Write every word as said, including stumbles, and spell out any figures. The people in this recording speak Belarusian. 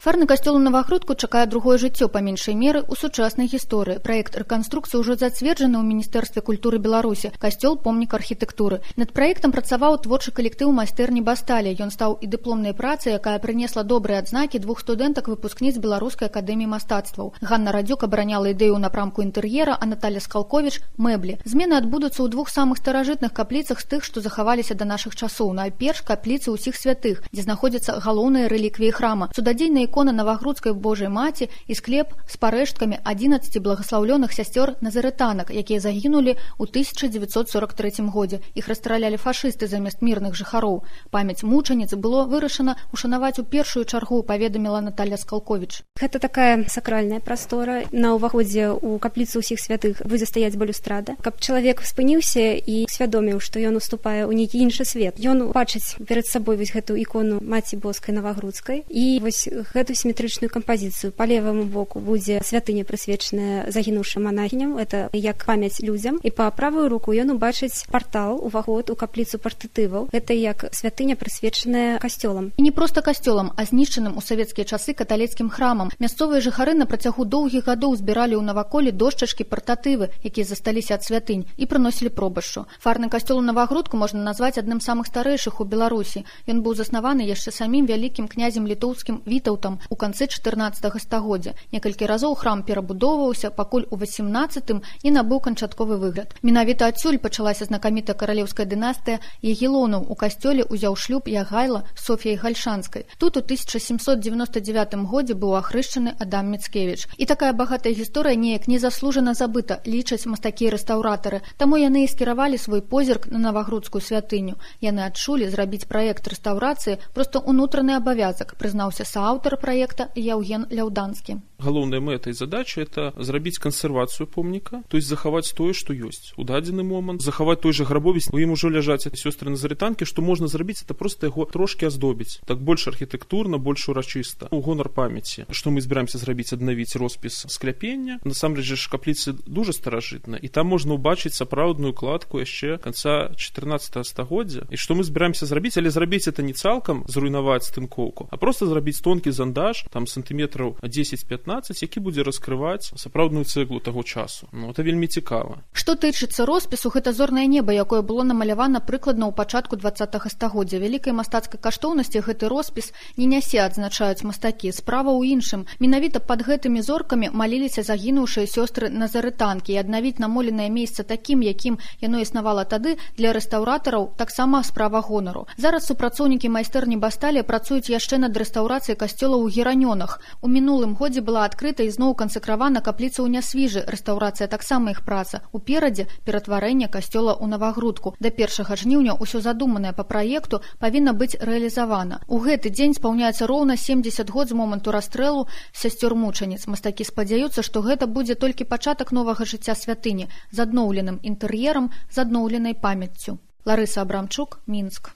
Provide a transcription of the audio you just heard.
Фарны касцёл у Навагрудку чакае другое жыццё па меншай меры ў сучаснай гісторыі. Праект рэканструкцыі ўжо зацверджаны ў Міністэрстве культуры Беларусі. Касцёл помнік архітэктуры. Над праектам працаваў творчы калектыў майстэрні Басталія. Ён стаў і дыпломнай працай, якая прынесла добрыя адзнакі двух студэнтак выпускніц Беларускай акадэміі мастацтваў. Ганна Радзюк абараняла ідэю ў напрамку інтэр'ера, а Наталя Скалковіч мэблі. Змены адбудуцца ў двух самых старажытных капліцах з тых, што захаваліся да нашых часоў. Найперш капліцы ўсіх святых, дзе знаходзяцца галоўныя рэліквіі храма. Цудадзейная ікона Навагрудскай Божай Маці і склеп з парэшткамі адзінаццаці благаслаўлёных сясцёр назарытанак, якія загінулі ў тысяча дзевяцьсот сорок трэцім годзе. Іх расстралялі фашысты замест мірных жыхароў. Памяць мучаніц было вырашана ушанаваць у першую чаргу, паведаміла Наталя Скалковіч. Гэта такая сакральная прастора. На ўваходзе ў капліцу ўсіх святых будзе стаяць балюстрада, каб чалавек спыніўся і свядоміў, што ён уступае ў нейкі іншы свет. Ён бачыць перад сабой вось гэту ікону Маці Боскай Навагрудскай і вось гэту сіметрычную кампазіцыю. Па леваму боку будзе святыня, прысвечаная загінуўшым манахіням, это як памяць людзям, і па правую руку ён убачыць партал, уваход у капліцу партытываў. Гэта як святыня, прысвечаная касцёлам. І не проста касцёлам, а знішчаным у савецкія часы каталіцкім храмам. Мясцовыя жыхары на працягу доўгіх гадоў збіралі ў наваколе дошчачкі, партатывы, якія засталіся ад святынь, і прыносілі пробашчу. Фарны касцёл у Навагрудку можна назваць адным з самых старэйшых у Беларусі. Ён быў заснаваны яшчэ самім вялікім князем літоўскім Вітаўтам у канцы чатырнаццатага стагоддзя. Некалькі разоў храм перабудоўваўся, пакуль у васемнаццатым і набыў канчатковы выгляд. Менавіта адсюль пачалася знакамітая каралеўская дынастыя Ягелонаў. У касцёле ўзяў шлюб Ягайла з Соф'яй Гальшанскай. Тут у тысяча сямсот девяносто девятым годзе быў ахрышчаны Адам Міцкевіч. І такая багатая гісторыя неяк незаслужана забыта, лічаць мастакі-рэстаўратары. Таму яны і скіравалі свой позірк на Навагрудскую святыню. Яны адчулі зрабіць праект рэстаўрацыі проста ўнутраны абавязак, прызнаўся сааўтар праекта Яўген Ляўданскі. Галоўная мэта і задача – это зрабіць кансервацыю помніка, то есть захаваць тое, што ёсць. У дадзены момант захаваць той жа грабовец, у ім ужо ляжаць сёстры назарытанкі, што можна зрабіць, это проста яго трошкі аздобіць. Так больш архітэктурна, больш урачыста. У гонар памяці, што мы збіраемся зрабіць, аднавіць роспіс скляпення. Насамрэч ж капліцы дужа старажытна, і там можна ўбачыць сапраўдную кладку яшчэ канца чатырнаццатага стагоддзя. І што мы збіраемся зрабіць, але зрабіць это не цалкам зруйнаваць стынкоўку, а проста зрабіць тонкі зандаж, там сантыметраў дзесяць-пятнаццаць, які будзе раскрываць сапраўдную цэглу таго часу. Ну, это вельмі цікава. Што тычыцца роспісу, гэта зорнае неба, якое было намалявана прыкладна ў пачатку дваццатага стагоддзя. Вялікай мастацкай каштоўнасці гэты роспіс не нясе, адзначаюць мастакі. Справа ў іншым. Менавіта пад гэтымі зоркамі маліліся загінуўшыя сёстры назарытанкі, і аднавіць намоленае месца такім, якім яно існавала тады, для рэстаўратараў таксама справа гонару. Зараз супрацоўнікі майстэрні Басталія працуюць яшчэ над рэстаўрацыяй касцёла ў Геранёнах. У мінулым годзе была адкрыта і зноў кансакравана капліца ў Нясвіжы. Рэстаўрацыя таксама іх праца. Уперадзе ператварэнне касцёла ў Навагрудку. Да першага жніўня ўсё задуманае па праекту павінна быць рэалізавана. У гэты дзень спаўняецца роўна семдзесят год з моманту расстрэлу сясцёр-мучаніц. Мастакі спадзяюцца, што гэта будзе толькі пачатак новага жыцця святыні з адноўленым інтэр'ерам, з адноўленай памяццю. Ларыса Абрамчук, Мінск.